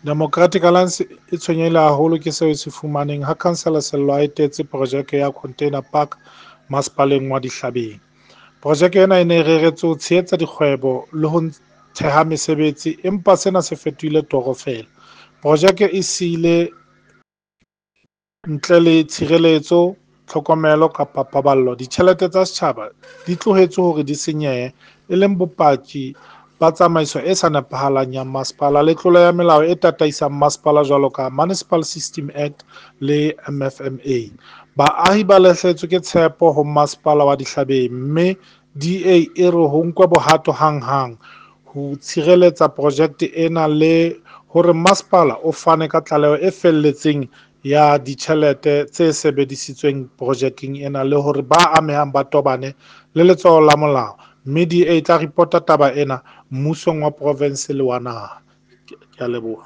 Democratic Alliance e tshwenyehile haholo ke seo e se fumaneng ha Councillor Sello a etetse projeke ya Container Park masepaleng wa Dihlabeng. Projeke ena e ne e reretswe ho tshehetsa dikgwebo le ho theha mesebetsi, empa sena se fetohile toro feela. Projeke e siile ntle le tshireletso, tlhokomelo kapa paballo. Ditjhelete tsa setjhaba di tlohetswe hore di senyehe, e leng bopaki ba tsamaiso e sa nepahalang ya masepala le tlolo ya melao e tataisang masepala jwalo ka Municipal System Act le MFMA. Baahi ba lahlehetswe ke tshepo ho masepala wa Dihlabeng, mme DA e re ho nkwe bohato hanghang ho tshireletsa projekte ena le hore masepala o fane ka tlaleho e felletseng ya ditjhelete tse sebedisitsweng projekeng ena le hore ba amehang ba tobane le letsoho la molao, mme DA e tla repota taba ena mmusong wa province le wa naha. Ke a leboha.